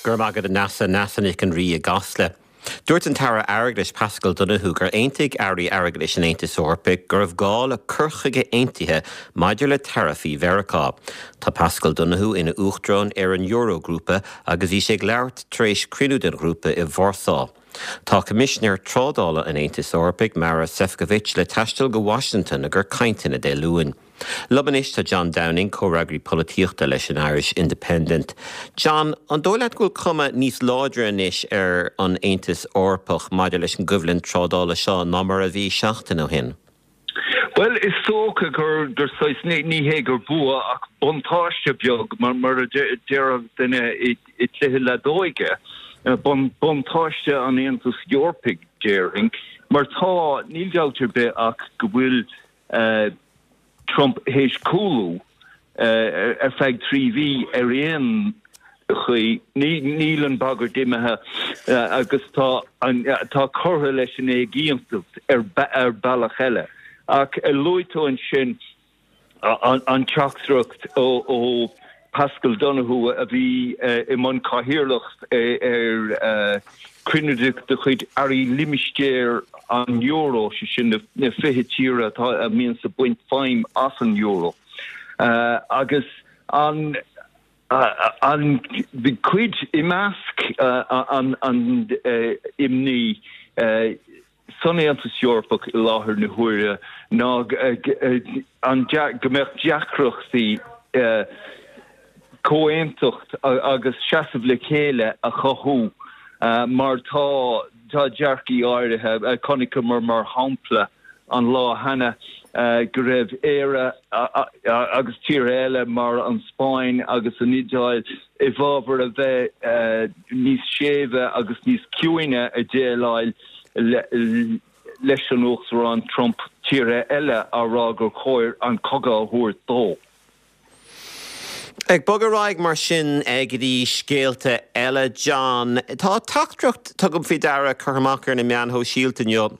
Go raibh maith agat a Neasa, Neasa Nic an Rí i gCasla. Dúirt an tAire Airgeadais Paschal Donohoe gur aontaigh Airí Airgeadais an Aontais Eorpaigh go raibh gá le cur chuige aontaithe maidir le taraifí Mheiriceá. Tá Paschal Donohoe ina Uachtarán ar an Eurogrúpa agus bhí sé ag labhairt tar éis cruinniú den ghrúpa i Vársá. Tá Coimisinéir Trádála an Aontais Eorpaigh, Maros Sefcovic, le taisteal go Washington i gcomhair cainteanna Dé Luain. Liom anois tá John Downing, comhfhreagraí polaitíochta leis an Irish Independent. John, an dóigh leat go bhfuil cuma níos láidre anois ar an Aontas Eorpach maidir leis an gcoimhlint trádála seo ná mar a bhí seachtain ó shin? Bhuel, is dócha gur gur saghas, ní hé gur bua ach buntáiste beag, mar a déarfadh duine i gcluiche leadóige, buntáiste an Aontais Eorpaigh, déarfainn, mar tá, níl dabht ar bith ach go bhfuil Trump théis cúlú ar feadh 3 mhí ar aon chaoi. Níl an bhagairt imithe agus tá tá curtha leis an éiginnteacht ar bealach eile. Ach luaigh tú ansin an teachtaireacht ó Paschal Donohoe a bhí i mbun cathaoirleacht ar chruinniú de chuid airí limistéar an euro, sé sin na 20 tír atá a mbíonns ag baint feidhm as an euro. Agus an an cuid i measc an imní san Aontas Eorpach i láthair na huaire ná go mbeadh deacrachtaí comhaontacht agus seasamh le chéile a chothú mar tá tá dearcaí áirithe, chonaiceamar mar shampla an lá cheana go raibh Éire agus tíortha eile mar an Spáinn agus an Iodáil i bhfabhar a bheith níos séimhe agus níos ciúine ag déileáil leis an Uachtarán Trump, tíortha eile á rá gur chóir an cogadh a thabhairt dó. Ag bogadh ar aghaidh mar sin go dtí scéalta eile, John, tá teachtaireacht, tugaim faoi deara, curtha amach ar na meáin shóisialta inniu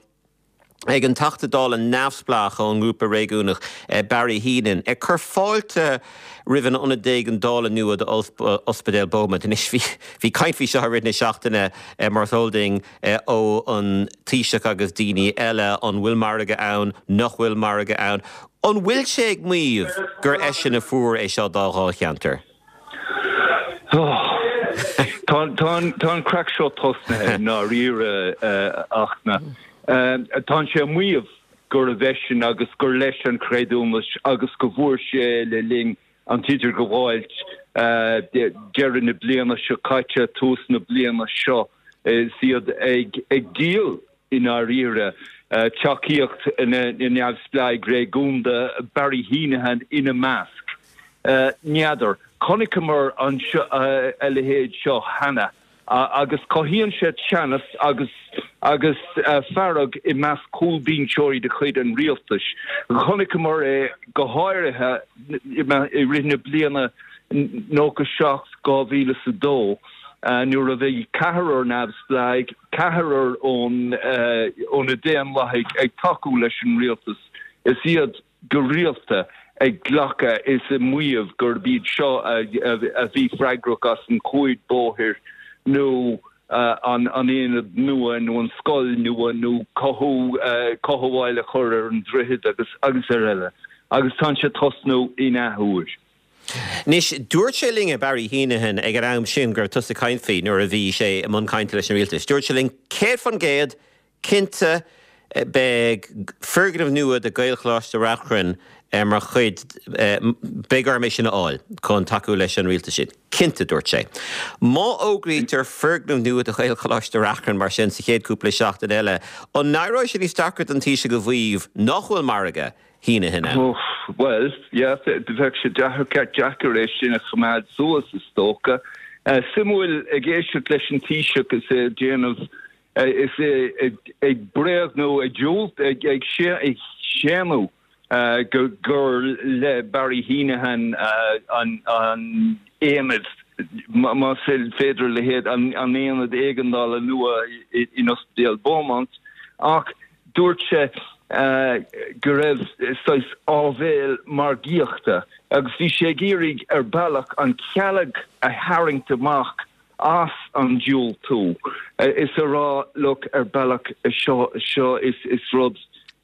ag an Teachta Dála neamhspleách ón ngrúpa réigiúnach Barry Heneghan, ag cur fáilte roimh an ionad éigeandála nua do Ospidéal Beaumont. Anois bhí caint faoi seo i rith na seachtaine mar is eol duinn ó an Taoiseach agus daoine eile, an bhfuil margadh ann, nach bhfuil margadh ann? An bhfuil sé ag maíomh gur eisean a fuair é seo dá dháilcheantar? Tá an craic seo tosnaithe i ndáiríre ach tá sé ag maíomh gurbh eisean agus gur leis an chreidiúnas agus go bhfuair sé le linn an t-idirghabháilt deireadh na bliana seo caite, tús na bliana seo is iad ag díol i ndáiríre, tacaíocht na neamhspleáigh réigiúnda, Barry Heneghan ina measc. N'fheadar. Chonaiceamar a leithéid seo cheana agus cothaíonn sé teannas agus agus fearg i measc cúlbhinseoirí de chuid an rialtais. Chonaiceamar é go háirithe i rith na bliana 97, 2002 nuair a bhí ceathrar neamhspleáigh, ceathrar ó na Daonlathaigh ag tacú leis an rialtas is iad go rialta ag glacadh is ag maíomh gurb iad seo a bhí freagrach as an chuaid bóthair nó an aonad nua nó an scoil nua nó cothú, cothabháil a chur ar an droichead agus agus ar eile. Agus tá sé ag tosnú in athuair. Anois, dúirt sé linn, Barry Heneghan, ag an am sin go raibh tusa ag caint faoi nuair a bhí sé i mbun cainte leis an rialtas, dúirt sé linn 100% cinnte beidh foirgneamh nua do Ghaelcholáiste Reachrann mar chuid, beidh orm é sin a fháil chun tacú leis an rialtas sin. Cinnte, dúirt sé. Má fhógraítear foirgneamh nua do Ghaelcholáiste Reachrann mar sin sa chéad cúpla seachtain eile, an n-éireoidh sé níos deacra don Taoiseach a mhaíomh nach bhfuil margadh Heneghan ann? Bhuel, yeah, bheadh sé deacair é sin a choimeád suas, is dócha. Suimiúil ag éisteacht leis an Taoiseach is é ag déanamh, is é ag bréagnú, ag diúlt, ag séanadh gur le Barry Heneghan an aonad, más féidir a leithéid, an aonad éigeandála nua in Ospidéal Beaumont, ach Dúirt sé go raibh saghas áibhéil margaíochta agus bhí sé ag iarraidh ar bealach an chealg a tharraingt amach. as an diúltú is a rá look ar bealach seo seo is is rud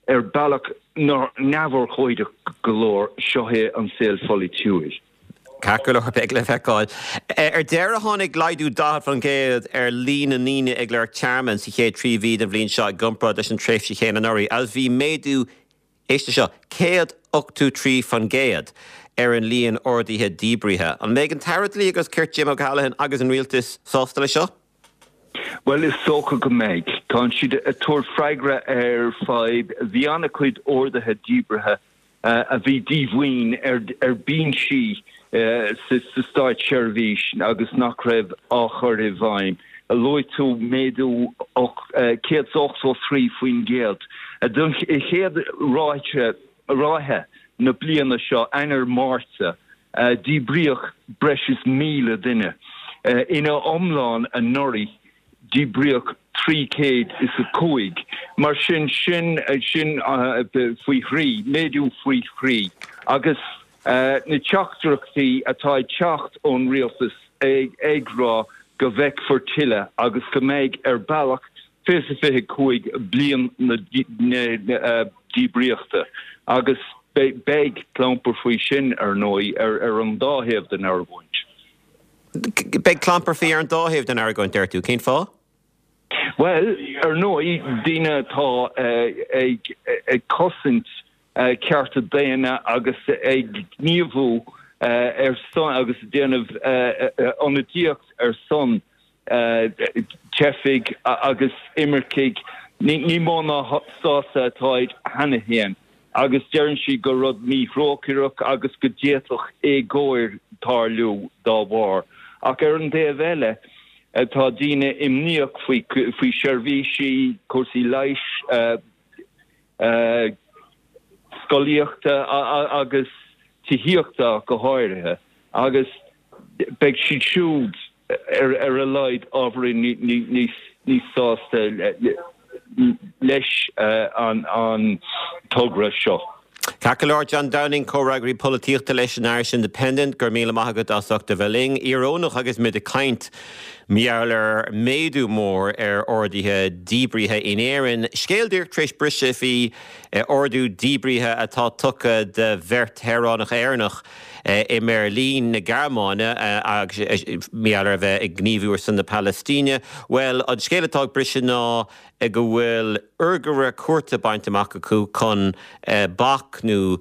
ar bealach neamhurchóideach go leor seo é an saol pholaitiúil. Ceart go leor, beidh le feiceáil. Ar deireadh tháinig laghdú 40% ar líon na ndaoine ag lorg tearmainn sa chéad 3 mhí den bhliain seo i gcomparáid leis an tréimhse chéanna anuraidh agus bhí méadú, éist leis seo, 183% ar an líon orduithe díbrithe. An mbeidh an tAire Dlí agus Cirt Jim O'Callaghan agus an Rialtas sásta leis seo? Bhuel, is dócha go mbeidh. Tá siad ag tabhairt freagra ar fadhb. Bhí an-chuid orduithe díbrithe a bhí díomhaoin ar binsí sa státseirbhís agus nach raibh á chur i bhfeidhm. Luaigh tú méadú 183% don chéad ráithe na bliana seo, Eanáir, Márta, díbríodh breis is 1,000 duine. Ina iomlán anuraidh, díbríodh 305. Mar sin, sin, sin faoi thrí, méadú faoi thrí. Agus na teachtaireachtaí atá ag teacht ón rialtas ag rá go bhfeicfear tuilleadh agus go mbeidh ar bealach 2025 bliain na díbríochta agus beidh clampar faoi sin, ar ndóigh, ar an dá thaobh den argóint. Beidh clampar faoi ar an dá thaobh den argóint, deir tú. Cén fáth? Bhuel, ar ndóigh, daoine atá ag cosaint cearta daonna agus ag gníomhú ar son agus ag déanamh ionadaíocht ar son teifigh agus imircigh, ní mó ná sásta atáid cheana féin agus deireann siad gur rud míthrócaireach agus go d'fhéadfadh éagóir tarlú dá bharr. Ach ar an dtaobh eile, tá daoine imníoch faoi seirbhísí, cúrsaí leighis, scolaíochta agus tithíochta ach go háirithe, agus beidh siad siúd ar a laghad ábhairín níos sásta leis an togra seo. Ceart go leor, John Downing, Comhfhreagraí Polaitíochta leis an Irish Independent, go raibh míle maith agat as ucht a bheith linn. Íorónach agus muid ag caint mar gheall ar méadú mór ar orduithe díbrithe in Éirinn. Scéal díreach tar éis briseadh faoi ordú díbrithe atá tugtha do bheirt shaoránach Éireannach i mBeirlín na Gearmáine agus mar gheall ar a bheith ag gníomhú ar son na Palaistíne. Bhuel, an scéal atá ag briseadh ná go bhfuil urghaire cúirte bainte amach acu chun bac nó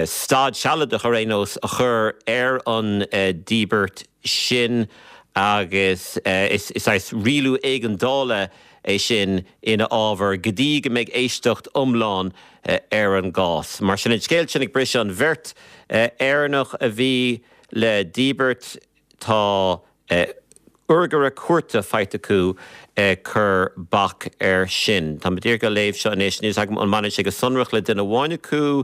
stad sealadach ar aon nós a chur ar an díbirt sin agus is saghas rialú éigeandála é sin ina fhábhar go dtí go mbeidh éisteacht iomlán ar an gcás. Mar sin an scéal sin ag briseadh, an bheirt Éireannach a bhí le díbirt, tá urghaire cúirte faighte acu ag cur bac air sin. Tá mé díreach á léamh seo anois, níl a fhios agam an mbaineann sé go sonrach le duine amháin acu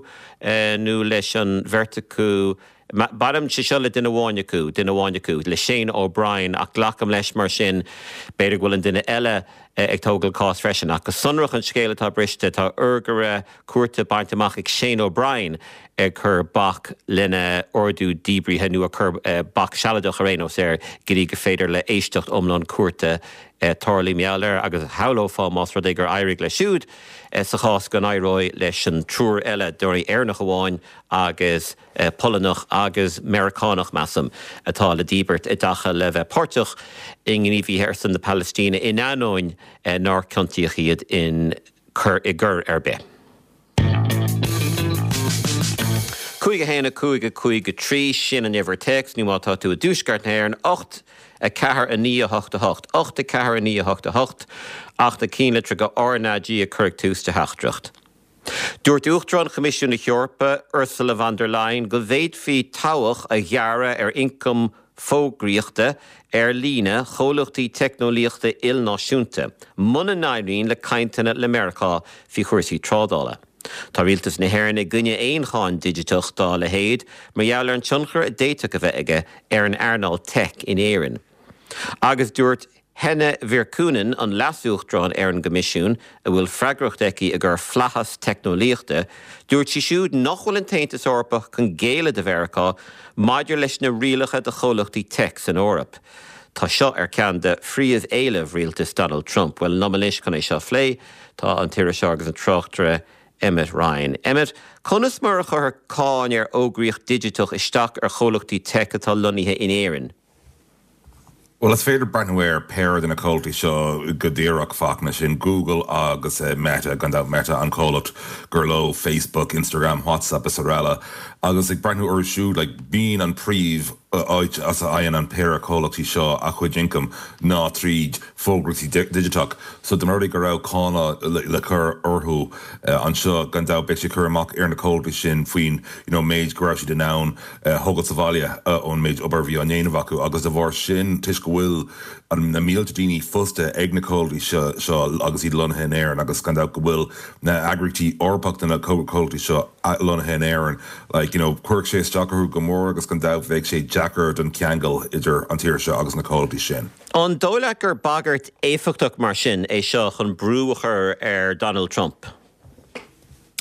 nó leis an bheirt acu. Baineann sé seo le duine amháin acu, duine amháin acu, le Shane O'Brien, ach glacaim leis mar sin, b'fhéidir go bhfuil an duine eile ag tógáil cás freisin. Ach go sonrach an scéal atá briste, tá urghaire cúirte bainte amach ag Shane O'Brien ag cur bac lena ordú díbrithe, nó ag cur bac sealadach ar aon nós air, go dtí gur féidir le éisteacht iomlán cúirte tarlú mar gheall air. Agus shamhlófá más rud é gur éirigh leis siúd sa chás go n-éireoidh leis an triúr eile, dáiríre Éireannach amháin agus Polannach agus Meiriceánach, measaim, atá le díbirt i dtaca le bheith páirteach i ngníomhaithe ar son na Palaistíne in ainneoin nár ciontaíodh iad in coir i gcoir ar bith. 5 1 5 5 3, sin an uimhir téacs, nó má tá tú i dtuaisceart na hÉireann, 8 4 9 8 8, 8 4 9 8 8, ach na cinnlitreacha RnaG a chur ag tús do theachtaireacht. Dúirt Uachtarán Choimisiún na hEorpa, Ursula von der Leyen, go bhféadfaí tobhach a ghearradh ar ioncam fógraíochta ar líne chomhlachtaí teicneolaíochta ilnáisiúnta muna n-éiríonn le cainteanna le Meiriceá faoi chúrsaí trádála. Tá rialtas na hÉireann i gcoinne aon cháin digiteach dá leithéid mar gheall ar an tionchar a d'fhéadfadh a bheith aige ar an earnáil teic in Éirinn. Agus dúirt Henna Virkkunen, an Leas-Uachtarán ar an gCoimisiún, a bhfuil freagracht aici i gcur flaitheas teicneolaíochta, dúirt sí siúd nach bhfuil an tAontas Eorpach chun géilleadh do Mheiriceá maidir leis na rialacha do chomhlachtaí teic san Eoraip. Tá seo ar ceann de phríomh-éilimh rialtas Donald Trump. Bhuel, liom anois chun é seo a phlé, tá an t-iriseoir agus an tráchtaire Emmet Ryan. Emmet, conas mar a chuirfeadh cáin ar fhógraíocht digiteach isteach ar chomhlachtaí teic atá lonnaithe in Éirinn? Bhuel, is féidir breathnú ar péire de na comhlachtaí seo go díreach, Fachtna, sin Google agus Meta, gan dabht Meta an comhlacht gur leo Facebook, Instagram, WhatsApp is araile. Agus ag breathnú orthu siúd, like, bíonn an príomh áit as a fhaigheann an péire comhlachtaí seo a chuid ioncaim ná tríd fógraíocht digiteach. So dá mba rud é go raibh cáin le cur orthu anseo, gan dabht beidh sé ag cur amach ar na comhlachtaí sin faoin, you know, méid go raibh siad in ann thógáil sa bhaile ón méid obair a bhí á ndéanamh acu agus de bharr sin, toisc go bhfuil na mílte daoine fostaithe ag na comhlachtaí seo agus iad lonnaithe in Éirinn agus gan dabht go bhfuil na eagraíochtaí Eorpach de na comhlachtaí seo lonnaithe in Éirinn, like, you know, chuirfeadh sé isteach orthu go mór agus gan dabht bheadh sé deacair don cheangal idir an tír seo agus na comhlachtaí sin. An dóigh leat gur bagairt éifeachtach mar sin é seo chun brú a chur ar Donald Trump?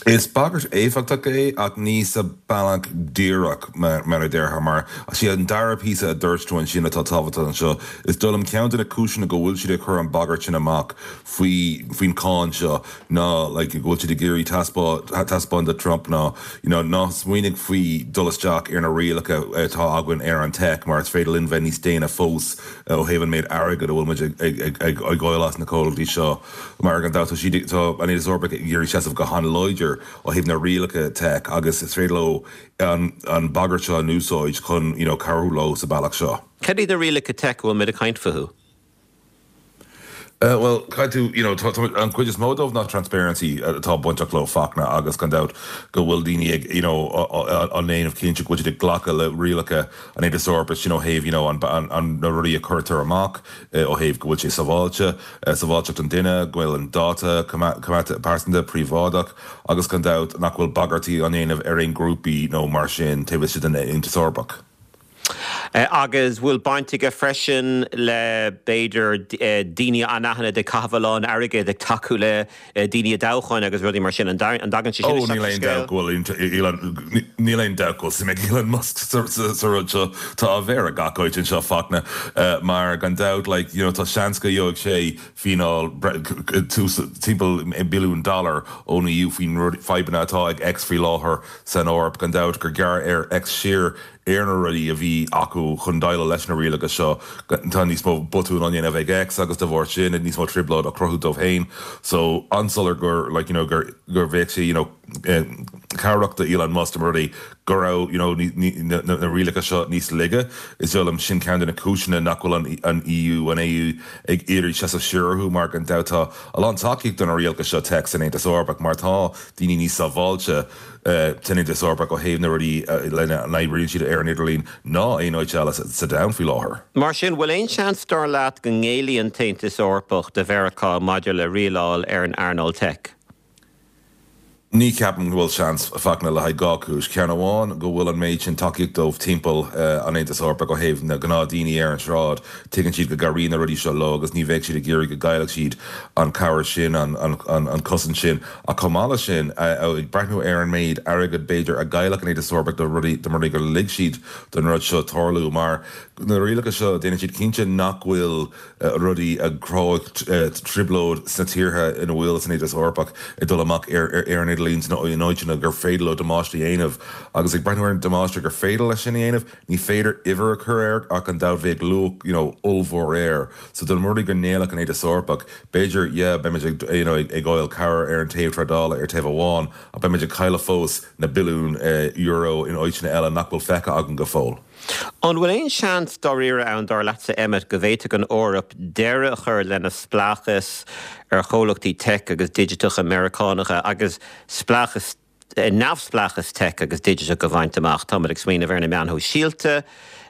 Is bagairt éifeachtach é ach ní sa bealach díreach, mar a déarfá, mar is é an dara píosa a dúirt tú ansin atá tábhachtach anseo. Is dóigh liom ceann de na cúiseanna go bhfuil siad ag cur an bagairt sin amach faoi faoin cáin seo ná like go bhfuil siad ag iarraidh taispeáint do Trump ná you know ná smaoinigh faoi dul isteach ar na rialacha atá againn ar an tech mar is féidir linn bheith níos déine fós ó thaobh an méid airgid a bhfuil muid ag ag ag ag fháil as na comhlachtaí seo. Mar gan dabht tá siad, tá an Aontas Eorpach ag iarraidh seasamh go han-láidir ó thaobh na rialacha tech agus is féidir leo an an bagairt seo a úsáid chun you know cabhrú leo sa bealach seo. Cad iad na rialacha tech a bhfuil muid ag caint fúthu? Bhuel, caithfidh tú, you know, tá, tá, an chuid is mó dóibh ná transparency atá bainteach leo, Fachtna, agus gan dabht go bhfuil daoine ag, you know, á ndéanamh cinnte go bhfuil siad ag glacadh le rialacha an Aontais Eorpaigh sin ó thaobh, you know, an, an, an, na rudaí a cuirtear amach, ó thaobh go bhfuil sé sábháilte. sábháilteacht an duine, go bhfuil an dáta coimeádta pearsanta príobháideach agus gan dabht nach bhfuil bagairtí á ndéanamh ar aon ghrúpaí nó mar sin taobh istigh den Aontas Eorpach. Agus bhfuil baint aige freisin le, b'fhéidir, daoine anaithnid ag caitheamh a lán airgid ag tacú le daoine i dtoghcháin agus rudaí mar sin? An dtagann sé sin isteach sa scéal? Níl aon dabht go bhfuil suim ag Elon Musk sa rud seo. Tá a mhéar ag gach áit anseo, Fachtna, mar gan dabht, like, you know, tá seans go gheobhaidh sé fíneáil timpeall billiún dollar ón EU faoin rud, fadhbanna atá ag X faoi láthair san Eoraip. Gan dabht gur ghearr ar X siar ar na rudaí a bhí acu chun déileáil leis na rialacha seo. Tá níos mó botún á ndéanamh ag X agus de bharr sin níos mó trioblóid á cruthú dóibh féin. So, an-soiléir gur like you know gur gur bheadh sé you know cabhrach do Elon Musk dá mba rud é go raibh you know na rialacha seo níos laige. Is dóigh liom sin ceann de na cúiseanna nach bhfuil an an EU an AE ag iarraidh seasamh siar orthu mar gan dabht tá a lán tacaíocht do na rialacha seo tech san Aontas Eorpach mar tá daoine níos sábháilte san Aontas Eorpach ó thaobh na rudaí lena n-oibríonn siad ar an idirlíon ná aon áit eile sa domhan faoi láthair. Mar sin, bhfuil aon seans, dar leat, go ngéillfidh an tAontas Eorpach do Mheiriceá maidir le rialáil ar an earnáil teic? Ní cheapaim go bhfuil seans, a Fachtna, le haghaidh dhá chúis. Ceann amháin, go bhfuil an méid sin tacaíocht dóibh timpeall an Aontais Eorpaigh ó thaobh na gnáthdaoine ar an tsráid. Tuigeann siad go gcabhraíonn na rudaí seo leo agus ní bheadh siad ag iarraidh go gcaillfeadh siad an chabhair sin, an chosaint sin. Ach chomh maith leis sin, ag breathnú ar an méid airgid, b'fhéidir, a gcaillfeadh an Aontas Eorpach dá mba rud é gur lig siad don rud seo tarlú, mar na rialacha seo, déanann siad cinnte nach bhfuil rudaí a chruthóidh trioblóid sna tíortha ina bhfuil san Aontas Eorpach ag dul amach ar an idirlíon in áiteanna gur féidir leo damáiste a dhéanamh. Agus ag breathnú ar an damáiste gur féidir leis sin a dhéanamh, ní féidir uimhir a chur air ach gan dabht bheadh luach you know ollmhór air. So dá mba rud é go ngéillfeadh an Aontas Eorpach, B'fhéidir, yeah, beimid ag, you know, ag fháil cabhair ar an taobh trádála ar taobh amháin, ach beimid ag cailleadh fós na billiúin euro in áiteanna eile nach bhfuil feicthe againn go fóill. An bhfuil aon seans dáiríre ann, dar leatsa, Emmet, go bhféadfadh an Eoraip deireadh a chur lena spleáchas ar chomhlachtaí teic agus digiteacha Meiriceánacha agus spleáchas neamhspleáchas teic agus digiteach a bhaint amach. Táimid ag smaoineamh ar na meáin shóisialta,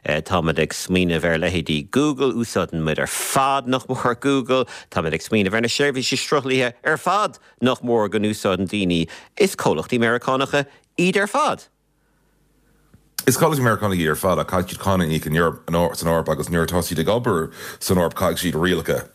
táimid ag smaoineamh ar leithéidí Google, úsáideann muid ar fad nach mór Google, táimid ag smaoineamh ar na seirbhísí sruthlaithe ar fad nach mór go n-úsáideann daoine, is comhlachtaí Meiriceánacha iad ar fad. Is comhlachtaí Meiriceánacha iad ar fad ach caithfidh siad cáin a íoc san Eoraip agus nuair atá siad ag obair san Eoraip caithfidh siad rialacha.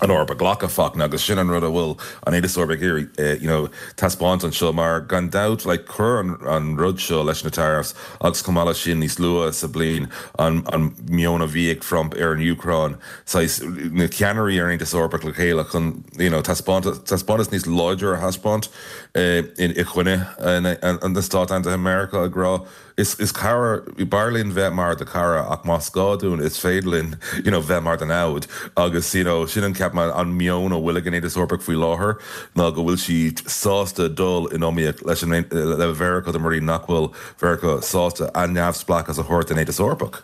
an Eoraip a ghlacadh, Fachtna, agus sin an rud a bhfuil an Aontas Eorpach ag iarraidh you know taispeáint anseo mar gan dabht like chuir an an rud seo leis na tariffs agus chomh maith leis sin níos luaithe sa bliain an an meon a bhí ag Trump ar an Úcráin saghas na ceannairí ar an Aontas Eorpach le chéile chun you know taispeáint taispeántas níos láidre a thaispeáint in i gcoinne na Stát Aontaithe Meiriceá ag rá Is cara, b'fhearr linn bheith mar do chara ach más gá dúinn is féidir linn you know bheith mar do namhaid agus you know sin an ceapaim an meon a bhfuil ag an Aontas Eorpach faoi láthair ná go bhfuil siad sásta dul in iomaíocht leis an le Mheiriceá de bhrí nach bhfuil Mheiriceá sásta a neamhspleáchas a thabhairt don Aontas Eorpach.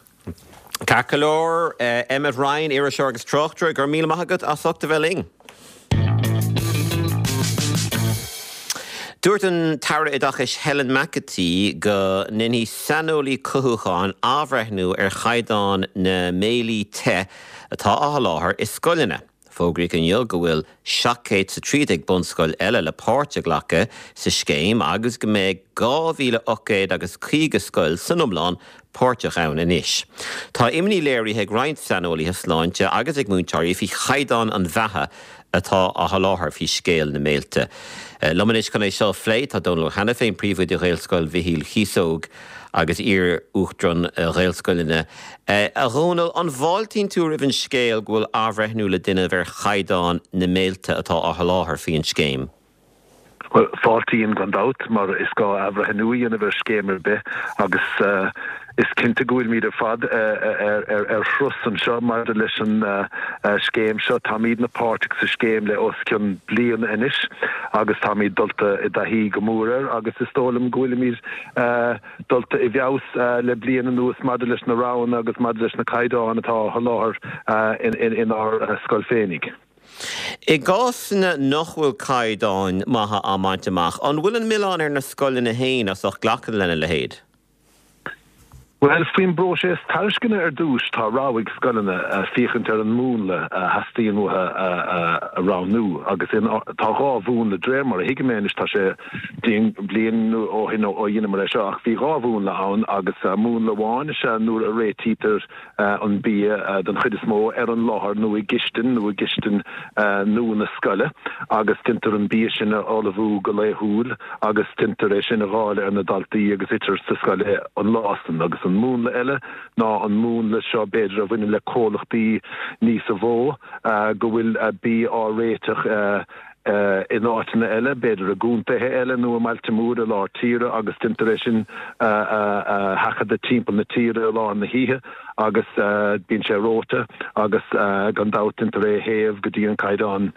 Ceart go leor, Emmet Ryan, iriseoir agus tráchtaire, go raibh míle maith agat as ucht a bheith linn. Dúirt an tAire Oideachais Helen McEntee go ndéanfaidh saineolaí cothúcháin athbhreithniú ar chaighdeán na mbéilí te atá á sholáthar i scoileanna. Fógraíodh inniu go bhfuil 713 bunscoil eile le páirt a ghlacadh sa scéim agus go mbeidh 2,800 agus 50 scoil san iomlán páirteach ann anois. Tá imní léirithe ag roinnt saineolaithe sláinte agus ag múinteoirí faoi chaighdeán an bheatha atá á sholáthar faoi scéal na mbéilte. Liom anois chun é seo a phlé tá Dónal Ó hAiniféin, Príomhoide Ghaelscoil Mhichíl Chíosóg agus iar-Uachtarán Ghaelscoileanna. A Dhónaill, an bhfáiltíonn tú roimh an scéal go bhfuil athbhreithniú le déanamh ar chaighdeán na mbéilte atá á sholáthar faoi an scéim? Bhuel, fáiltím gan dabht, mar is gá athbhreithniú a dhéanamh ar scéim ar bith agus is cinnte go bhfuilimid ar fad ar thuras anseo maidir leis an scéim seo. Táimidne páirteach sa scéim le os cionn bliana anois agus táimid dulta i dtaithí go mór air agus is dóigh liom go bhfuilimid dulta i bhfeabhas le bliain anuas maidir leis na roghanna agus maidir leis na caighdeáin atá á sholáthar inár scoil féinig. I gcásanna nach bhfuil caighdeáin maithe á mbaint amach, an bhfuil an milleán ar na scoileanna féin as ucht glacadh lena leithéid? Bhuel, faoin bpróiseas tairisceana ar dtús, tá rogha ag scoileanna féachaint ar an múnla a theastaíonn uathu a roghnú agus tá dhá mhúnla, de réir mar a thuigim é anois, tá sé bliain ó shin ó dheineamar é seo ach bhí dhá mhúnla ann agus múnla amháin is ea nuair a réitítear an bia den chuid is mó ar an láthair nó i gcistin nó i gcistin nua na scoile agus déantar an bia sin a ullmhú go laethúil agus déantar é sin a dháileadh ar na daltaí agus itear sa scoil é an lá san. Agus an múnla eile ná an múnla seo b'fhéidir a bhaineann le comhlachtaí níosa mhó go bhfuil bia á réiteach in áiteanna eile, b'fhéidir i gcontaetha eile nó i mbailte móra i lár tíre agus déantar é sin a sheachadadh timpeall na tíre i lár na hoíche agus bíonn sé reoite agus gan dabht déantar é a théamh go dtí an caighdeán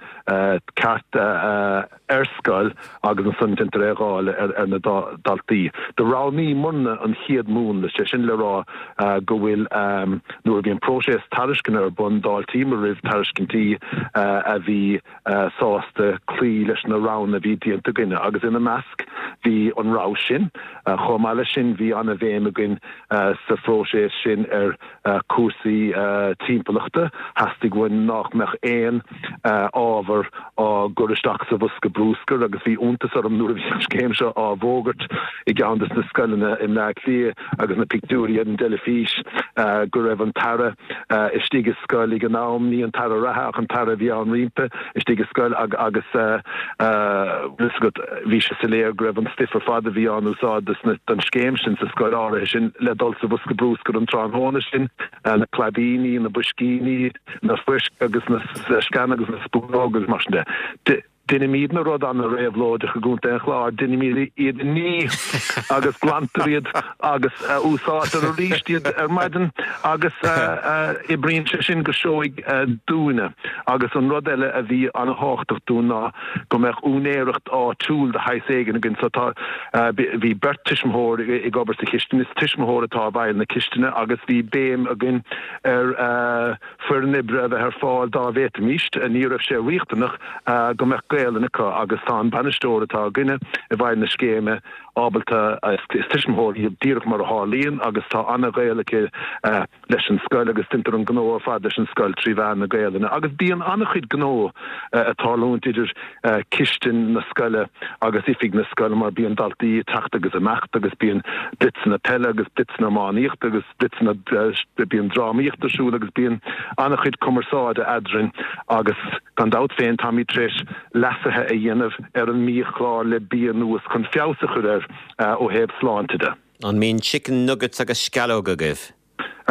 ceart ar scoil agus ansan déantar é a dháileadh ar na daltaí. Do roghnaíomarna an chéad mhúnla, sé sin le rá go bhfuil nuair a bhí an próiseas tairisceana ar bun d'fháiltíomar roimh tairiscintí a bhí sásta cloí leis na roghanna a bhí déanta againne agus ina measc bhí an rogha sin. Chomh maith leis sin bhí an-bhéim againn sa phróiseas sin ar chúrsaí timpeallachta. Theastaigh uainn nach mbeadh aon ábhar á gcur isteach sa bhosca brúscair agus bhí iontas orm nuair a bhí an scéim seo á bhfógairt i gceann des na scoileanna i mBleá Cliath agus na pictiúirí ar an dteilifís go raibh an tAire istigh i scoil ag an am, ní an tAire reatha ach an tAire a bhí ann roimpi, istigh i scoil agus bhfuil fhios agat, bhí sé soiléir go raibh an stuif ar fad a bhí á n-úsáid don scéim sin sa scoil áirithe sin le dul sa bhosca brúscair an tráthnóna sin, na claibíní, na boiscíní, na foirc agus na sceana agus na spúnóga agus mar sin de. Deinimídne rud an-réabhlóideach i gContae an Chláir, deinimíd iad a ní agus glantar iad agus úsáidtear arís iad ar maidin agus oibríonn sé sin go seoigh dúinne. Agus an rud eile a bhí an-thábhachtach dúinn ná go mbeadh úinéireacht áitiúil de shaghas éigin againn. So tá, bhí beirt tuismitheoir ag obair sa chistin, is tuismitheoir atá i bhfeighil na cistine agus bhí béim againn ar, foireann oibre a bheith ar fáil dá bhféadfaimís. Ní raibh sé riachtanach go mbeadh Gaelainn acu agus tá an bainisteoir atá againne i bhfeighil na scéime. ábalta, is tuismitheoir í díreach mar a tharlaíonn agus tá an-ghaol aici leis an scoil agus deintear an gnó ar fad leis an scoil trí mheán na Gaelainne agus bíonn an-chuid gnó ag tarlúint idir cistin na scoile agus oifig na scoile mar bíonn daltaí ag teacht agus ag imeacht agus bíonn blitzeanna peile agus blitzeanna iománaíochta agus blitzeanna bíonn drámaíocht ar siúl agus bíonn an-chuid cumarsáide eadrainn agus gan dabht féin táimid tar éis leasuithe a dhéanamh ar an mbiachlár le mí anuas chun feabhas a chur air ó thaobh sláinte de. An mbíonn chicken nuggets agus sceallóga agaibh?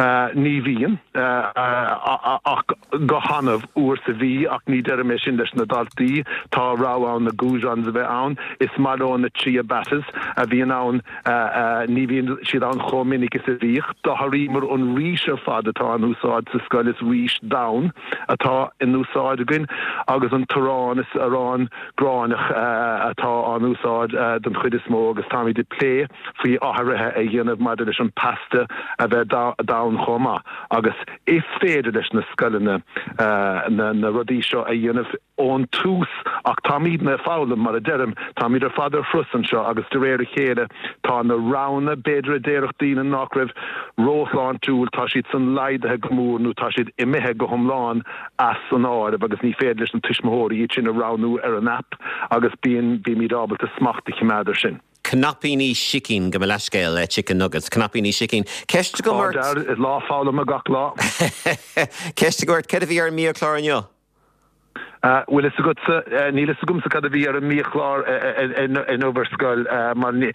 Ní bhíonn, ach go hannamh, uair sa mhí, ach ní deirim é sin leis na daltaí. Tá rogha ann na goujons a bheith ann. Is maith leo na ciabattas a bhíonn ann, ní bhíonn siad ann chomh minic is a bhíodh. D'athraíomar an rís ar fad atá in úsáid sa scoil, is rís donn atá in úsáid againn agus an t-arán, is arán gráinneach atá á n-úsáid den chuid is mó agus táimid ag plé faoi athruithe a dhéanamh maidir leis an pasta a bheith donn chomh maith agus is féidir leis na scoileanna na rudaí seo a dhéanamh ón tús ach táimidne ag foghlaim, mar a deirim, táimid ar fad ar thuras anseo agus de réir a chéile tá na roghanna, b'fhéidir a déarfadh daoine nach raibh róshláintiúil, tá siad san laghdaithe go mór nó tá siad imithe go hiomlán as an áireamh agus ní féidir leis na tuismitheoirí iad sin a roghnú ar an aip agus bíonn, bímid ábalta smacht a choimeád ar sin. Cnaipíní sicín, gabh mo leithscéal, chicken nuggets, cnaipíní sicín. Ceist agam ort. Tá, is lá foghlama gach lá. Ceist agam ort, céard a bhí ar an mbiachlár inniu? Bhfuil fhios agatsa, níl fhios agamsa cad a bhí ar an mbiachlár inniu ar scoil mar ní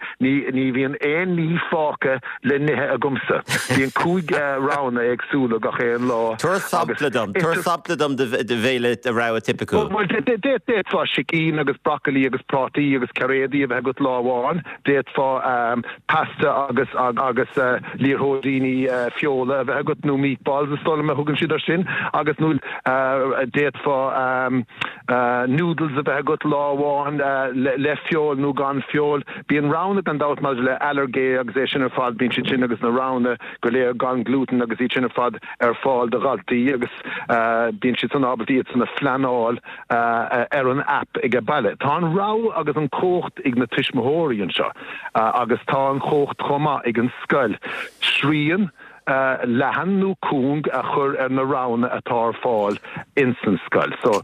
bhíonn aon ní fágtha le n-ithe agamsa. Bíonn 5 roghanna éagsúla gach aon lá Tabhair sampla dom, tabhair sampla dom de bhéile, de rogha tipiciúil. Bhuel, d'fhéadfá sicín agus brocailí agus prátaí agus cairéadaí a bheith agat lá amháin. D'fhéadfá pasta agus agus liathróidíní feola a bheith agat, nó meatballs is dóigh liom a thugann siad air sin, agus nó d'fhéadfá noodles a bheith agat lá amháin le feoil nó gan feoil. Bíonn roghanna gan dabht maidir le ailléirgí agus é sin ar fad, bíonn siad sin agus na roghanna go léir gan glútan agus iad sin ar fad ar fáil do dhaltaí agus bíonn siad san ábalta iad san a phleanáil. ar an aip age baile. Tá an rogha agus an chumhacht ag na tuismitheoirí anseo agus tá an chumhacht chomh maith ag an scoil srian leathan nó cúng a chur ar na roghanna atá ar fáil ins an scoil. So,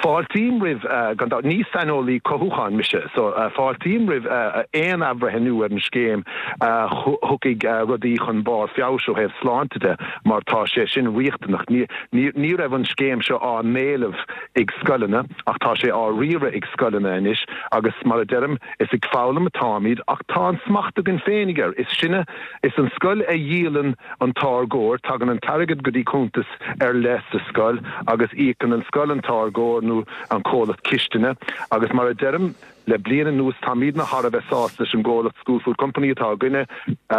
fáiltím roimh, gan dabht, ní saineolaí cothúcháin mise, so fáiltím roimh aon athbhreithniú ar an scéim a thiocfaidh rudaí chun barr feabhais ó thaobh sláinte de mar tá sé sin riachtanach. Ní. Ní raibh an scéim seo á n-éileamh ag scoileanna ach tá sé á riaradh ag scoileanna anois agus mar a deirim, is ag foghlaim atáimid ach tá an smacht againn féinig air. Is sinne, is an scoil a dhíolann an táirgeoir, tagann an t-airgead go dtí cuntas ar leith sa scoil agus íocann an scoil an táirgeoir nó an comhlacht cistine agus mar a deirim, Le bliain anuas táimidne thar a bheith sásta leis an gcomhlacht School Food Company atá againne.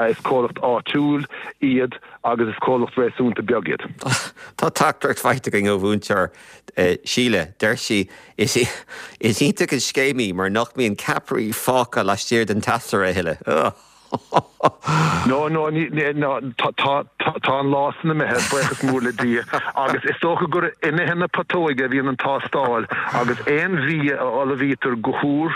Is comhlacht áitiúil iad agus is comhlacht réasúnta beag iad. Tá teachtaireacht faighte againn ó mhúinteoir Síle. Deir sí, Is iontach an scéim í mar nach mbíonn ceapairí fágtha laistiar den teasaire a thuilleadh. No, no, ní, ní, no, tá, tá, tá an lá san imithe, buíochas mór le Dia, agus is dócha gur in ithe na putóige a bhíonn an tástáil agus aon bhia a ullmhaítear go húr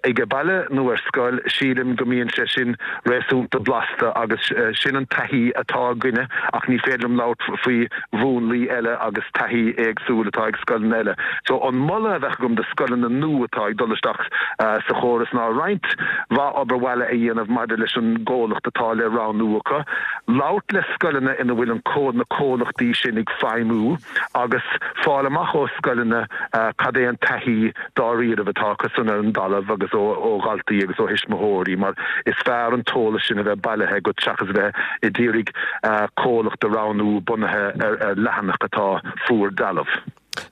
age baile nó ar scoil, sílim go mbíonn sé sin réasúnta blasta agus sin an taithí atá againne ach ní féidir liom labhairt faoi mhúnlaí eile agus taithí éagsúil atá ag scoileanna eile. So an moladh a bheadh agam do scoileanna nua atá ag dul isteach sa chóras ná roinnt mhaith obair bhaile a dhéanamh maidir leis an gcomhlacht atá le roghnú acu, labhairt le scoileanna ina bhfuil an na comhlachtaí sin ag feidhmiú agus fáil amach ó scoileanna cad é an taithí dáiríribh atá acu san ar an dtalamh agus ó dhaltaí agus ó thuismitheoirí mar is fearr an t-eolas sin a bheith bailithe agat seachas a bheith ag d'iarraidh comhlacht a roghnú bunaithe ar leathanach atá fuar dealbh.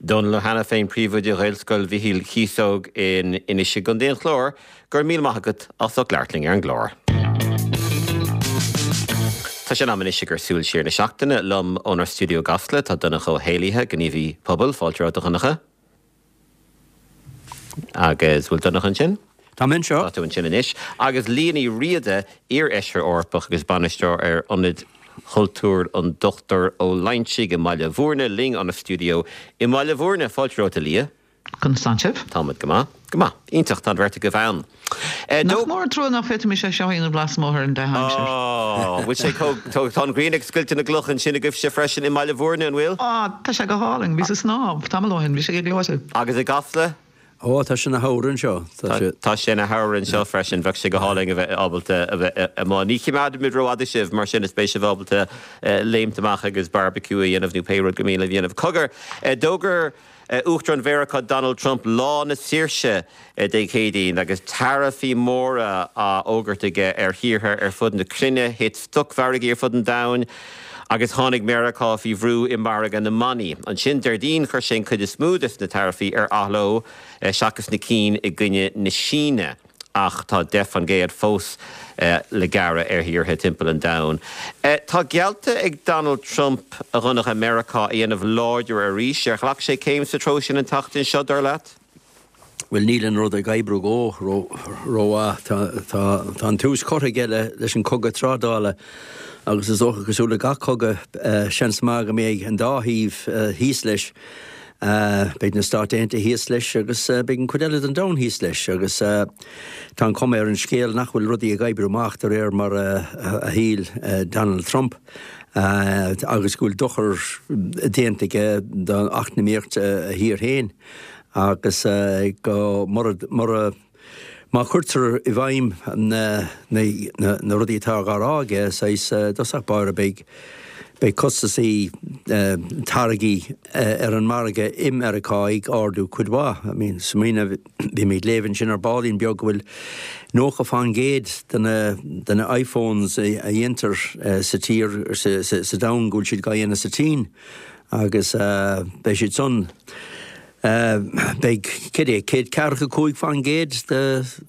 Dónal Ó hAiniféin, Príomhoide Ghaelscoil Mhichíl Chíosóg in Inis i gContae an Chláir, go raibh míle maith agat as ucht labhairt linn ar an gclár. Tá sé in am anois ag cur súil siar na seachtaine. Liom ónár stiúideo i gCasla tá Donncha Ó hÉallaithe, gníomhaí pobail. Fáilte romhat a Dhonncha. Agus bhfuil Donncha ansin? Tá mé anseo. Tá tú ansin anois. Agus Liadh Ní Riada, iar-fheisire Eorpach agus bainisteoir ar Ionad Chultúir an Dr Ó Loingsigh i mBaile Bhúirne, linn óna stiúideo i mBaile Bhúirne. Fáilte romhat, a Liadh. Conas tánn sibh? Táimid go maith. Go maith. Iontach, tá an bheirt agaibh ann. Nach mór an trua nach bhféadfaimis é seo a dhéanamh lasmuigh ar an dea-aimsir. Á, bhfuil sé chomh, tá an ghrian ag scoilteadh na gcloch ansin agaibhse freisin i mBaile Bhúirne, an bhfuil? Á, tá sé go hálainn. Bhíos ag snámh tamall ó shin, bhí sé go gleoite. Agus i gCasla? Ó, tá sé ina shamhradh anseo. Tá sé. Tá sé ina shamhradh anseo freisin. Bheadh sé go hálainn a bheith ábalta a bheith amuigh. Ní choimeádfaimid rófhada sibh, mar sin is beidh sibh ábalta léimt amach agus barbecue a dhéanamh nó pé rud gur mian libh a dhéanamh. Cogar, d'fhógair Uachtarán Mheiriceá Donald Trump Lá na Saoirse Dé Céadaoin agus taraifí móra á bhfógairt aige ar thíortha ar fud na cruinne. Thit stocmhargaí ar fud an domhain agus tháinig Meiriceá faoi bhrú i margadh na mbannaí. Ansin Déardaoin chuir sé an chuid is mó des na taraifí ar athló seachas na cinn i gcoinne na Síne. Ach tá 10% fós le gearradh ar thíortha timpeall an domhain. Tá geallta ag Donald Trump, a Dhonncha, Meiriceá a dhéanamh láidir arís. Ar ghlac sé céim sa treo sin an tseachtain seo, dar leat? Bhuel, níl an rud ag oibriú dhó rómhaith. Tá an tús curtha aige leis an cogadh trádála agus is dócha, cosúil le gach cogadh, seans maith go mbeidh an dá thaobh thíos leis. Beidh na Stáit Aontaithe thíos leis agus beidh an chuid eile den domhan thíos leis agus tá an chuma ar an scéal nach bhfuil rudaí ag oibriú amach de réir mar a shíl Donald Trump agus go bhfuil dochar déanta aige d'eacnamaíocht a thír féin agus go mura mura má chuirtear i bhfeidhm na rudaí atá á rá aige, saghas, i dtosach báire beidh beidh costasaí táirgí ar an margadh i Meiriceá ag ardú cuid mhaith. I mean, smaoineamh, bhí mé ag léamh ansin ar baillín beag go bhfuil 90% de na de na iPhones a dhéantar sa tír, sa domhan, go bhfuil siad dhá dhéanamh sa tSín agus beidh siad san Beidh, cad é, 145%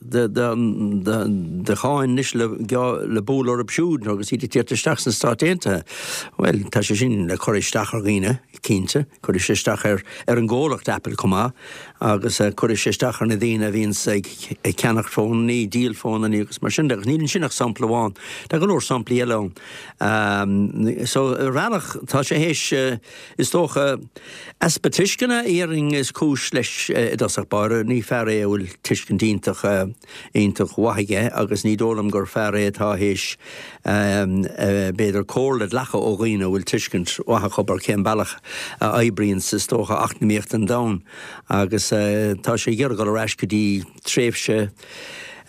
de cháin anois le bualadh orthu siúd agus iad ag tíocht isteach sna Stáit Aontaithe. Bhuel, tá sé sin le cur isteach ar dhaoine, cinnte. Cuirfidh sé isteach ar an gcomhlacht Apple chomh maith agus cuirfidh sé isteach ar na daoine a bhíonns ag ceannacht fónannaí, díol fónannaí agus mar sin de. Agus níl ansin ach sampla amháin. Tá go leor samplaí eile ann. So, ar bhealach, tá sé théis, is dócha, Easpa tuisceana, déarfainn, is cúis leis i dtosach báire. Ní fear é a bhfuil tuiscint iontach, iontach mhaith aige agus ní dóigh liom gur fear é atá théis, b'fhéidir, comhairle a ghlacadh ó dhaoine a bhfuil tuiscint mhaith acu ar cén bealach a oibríonns, is dócha, eacnamaíocht an domhain. Agus tá sé ag iarraidh dul ar ais go dtí tréimhse,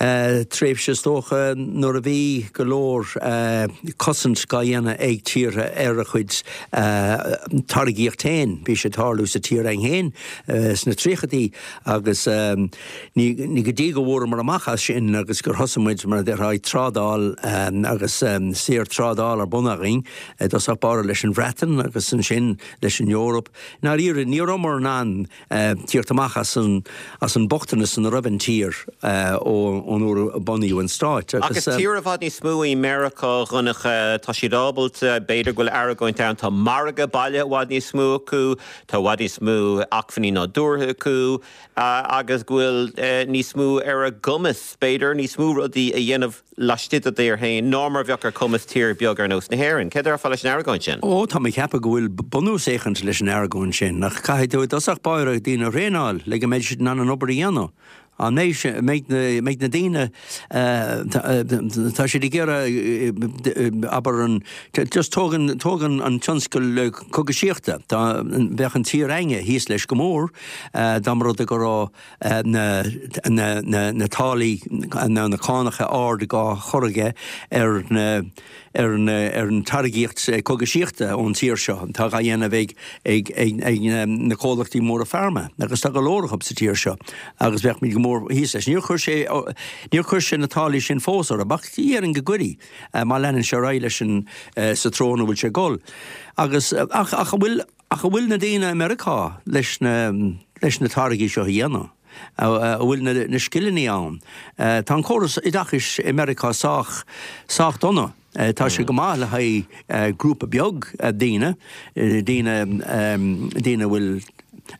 tréimhse is dócha nuair a bhí go leor cosaint dhá dhéanamh ag tíortha ar a chuid táirgíocht féin. Bhí sé ag tarlú sa tír againn féin sna tríochaidí agus ní go dtí go bhfuaireamar amach as sin agus gur thosaigh muid, mar a déarfá, ag trádáil agus saor trádáil ar bun againn i dtosach báire leis an Bhreatain agus ansin leis an Eoraip. I ndáiríre, ní rabhamar in ann tíocht amach as an as an bochtanas ina raibh an tír ón uair a bunaíodh an stáit Ach is tír i bhfad níos mó í Meiriceá, a Dhonncha. Tá siad ábalta, b'fhéidir go bhfuil argóint ann, tá margadh baile i bhfad níos mó acu, tá i bhfad níos mó acmhainní nádúrtha acu agus go bhfuil níos mó ar a gcumas, b'fhéidir, níos mó rudaí a dhéanamh laistigh dá dtír féin ná mar a bheadh ar chumas tír beag ar nós na hÉireann. Céard a déarfá leis an argóint sin? Ó, tá mé ag ceapadh go bhfuil bunús éicint leis an argóint sin, ach caithfidh tú i dtosach báire daoine a thraenáil le go mbeidh siad in ann an obair a dhéanamh. An mbeidh, mbeidh na, mbeidh na daoine, tá siad ag iarraidh, abair an, just tóg an, tóg an, an tionscal cogaisíochta, tá, bheadh an tír againne thíos leis go mór dá mba rud é go raibh, na táillí nó na cánacha ard dhá chur aige ar na ar na ar an táirgíocht cogaisíochta ón tír seo atá dhá dhéanamh ag ag ag ag na comhlachtaí móra pharma agus tá go leor acu sa tír seo agus bheadh muid go mór thíos leis. Níor chuir sé níor chuir sé na táillí sin fós orthu ach déarfainn go gcuirfidh má leanann sé ar aghaidh leis an sa treo ina bhfuil sé ag dul. Agus ach ach an bhfuil Ach an bhfuil na daoine i Meiriceá leis na leis na táirgí seo a dhéanamh? An bhfuil na na scileanna ann? Tá an córas oideachais i Meiriceá sách sách dona. Tá sé go maith le haghaidh grúpa beag daoine, daoine daoine a bhfuil.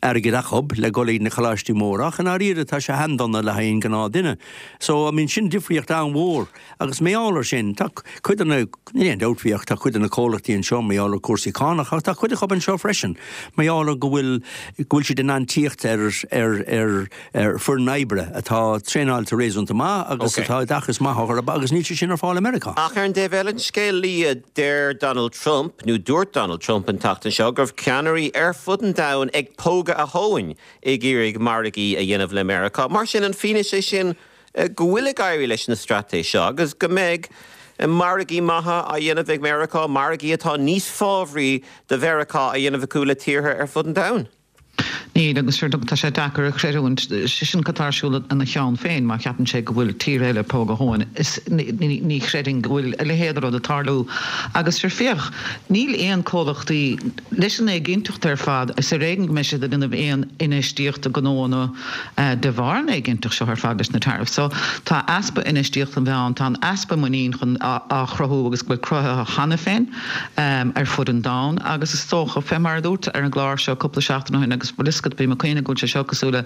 airgead acub le dhul ag na coláistí móra ach i ndáiríre tá sé an-dona le haghaidh an gnáth-duine. So, I mean, sin difríocht an-mhór agus mar gheall ar sin, tá cuid de na, níl aon dabht faoi ach tá cuid de na comhlachtaí anseo mar gheall ar cúrsaí cánach ach tá cuid acu anseo freisin mar gheall ar go bhfuil, go bhfuil siad in ann tíocht ar, ar, ar, ar foireann oibre atá traenáilte réasúnta maith agus atá oideachas maith orthu agus níl sé sin ar fáil i Meiriceá. Ach ar an dtaobh eile den scéal, Leah, deir Donald Trump, nó dúirt Donald Trump an tseachtain seo, go raibh ceannairí ar fud an domhain ag pógadh a thóin ag iarraidh margaí a dhéanamh le Meiriceá. Mar sin, an fianaise é sin go bhfuil ag éirí leis an straitéis seo agus go mbeidh margaí maithe á dhéanamh ag Meiriceá, margaí atá níos fábhraí do Mheiriceá á dhéanamh acu le tíortha ar fud an domhain? Níl, agus sure, tá sé deacair a chreidiúint, sé sin cad tá ar siúl ina cheann féin, má cheapann sé go bhfuil tír eile ag pógadh a thóin, is ní chreidfinn go bhfuil a leithéid de rud ag tarlú. Agus sure, féach, níl aon comhlachtaí, leis an éiginnteacht ar fad, is ar éigean go mbeidh siad ag déanamh aon infheistíocht i ngnóanna de bharr an éiginnteacht seo ar fad leis na tariffs. So, tá easpa infheistíochta ann, tá an easpa muinín chun á chruthú agus go bhfuil cruthaithe cheana féin. ar fud an domhain agus is dócha, fé mar a dúrt ar an gclár seo cúpla seachtain ó shin agus bhfuil fhios agat, bím ag cuimhneamh go bhfuil sé seo cosúil le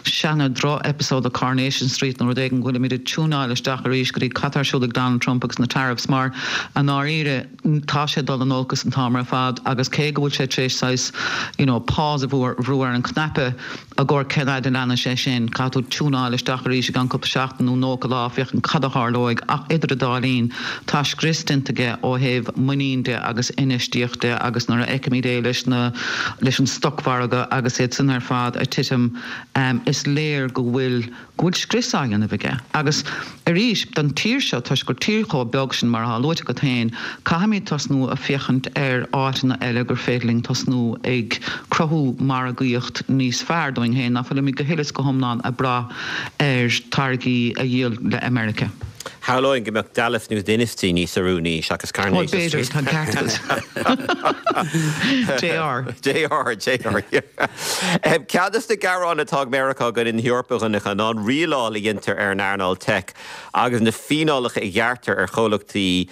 seana droch-episode de Coronation Street nó rud éigin go bhfuilimid ag tiúnáil isteach arís go dtí cad tá ar siúl ag Donald Trump agus na tariffs mar i ndáiríre tá sé ag dul in olcas an t-am ar fad agus cé go bhfuil sé tar éis saghas you know pause a bhrú ar an chnaipe I gcomhair cén fhaid a leanfaidh sé sin? Caithfidh tú tiúnáil isteach arís i gceann cúpla seachtain nó 90 lá féachaint cad a tharlóidh ach idir an dá linn tá scrios déanta aige ó thaobh muinín de agus infheistíocht de agus nuair a fheicimid é leis na leis an stocmhargadh agus iad san ar fad ag titim is léir go bhfuil go bhfuil scrios á dhéanamh aige. Agus arís, don tír seo, toisc gur tír chomh beag sin, mar atá luaite agat féin, caithfimid tosnú ag féachaint ar áiteanna eile gur féidir linn tosnú ag cruthú margaíocht níos fearr dúinn féin, ná fuilimid go huile is go hiomlán ag brath ar táirgí a dhíol le America. Shamhlóinn go mbeadh Dallas nó Dynasty níos oiriúnaí seachas Bhuel, Coronation b'fhéidir, Street. tá an ceart agat. JR. JR, JR, yeah. Ceann de na gearáin atá ag Meiriceá i gcoinne na hEorpa, a Dhonncha, ná an rialáil a dhéantar ar an earnáil teic agus na fíneálacha a ghearrtar ar chomhlachtaí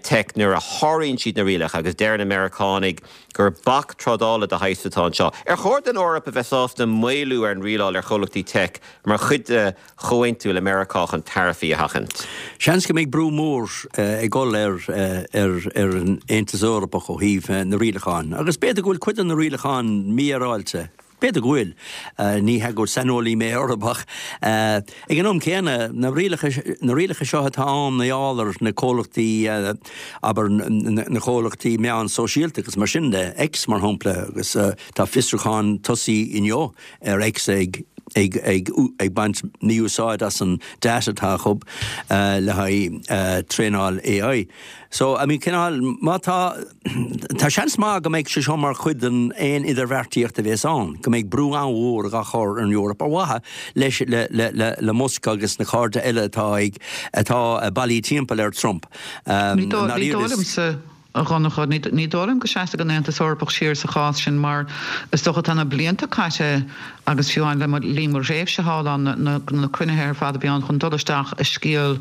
teic nuair a sháraíonn siad na rialacha agus deir na Meiriceánaigh gur bac trádála de shaghas atá anseo. Ar chóir don Eoraip a bheith sásta maolú ar an rialáil ar chomhlachtaí teic mar chuid de chomhaontú le Meiriceá chun taraifí a sheachaint. Seans go mbeidh brú mór ag dul ar ar an Aontas Eorpach ó thaobh na rialacháin agus b'fhéidir go bhfuil cuid de na rialacháin mífhéaráilte. B'fhéidir go bhfuil. Ní hea gur saineolaí mé orthu ach ag an am céanna na rialacha na rialacha seo atá ann mar gheall ar na comhlachtaí abair na comhlachtaí meán sóisialta agus mar sin de, X mar shampla agus tá fiosrúchán tosaithe inniu ar X ag ag ag ag baint mí-úsáid as an data atá acu le haghaidh traenáil AI. So, I mean, cineál, má tá, tá seans maith go mbeidh sé seo mar chuid den aon idirbheartaíocht a bhéas ann, go mbeidh brú an-mhór á chur ar an Eoraip ar mhaithe leis, le, le, le, le Musk agus na cairde eile atá ag, atá bailithe timpeall ar Trump. Ní dóigh liomsa. A Dhonncha, ní dóigh liom go seasfaidh an Aontas Eorpach siar sa chás sin mar is dócha tá na blianta caite agus fiú amháin le linn mo thréimhse thall ann na cruinnithe ar fad a bhí ann chun dul isteach i scéal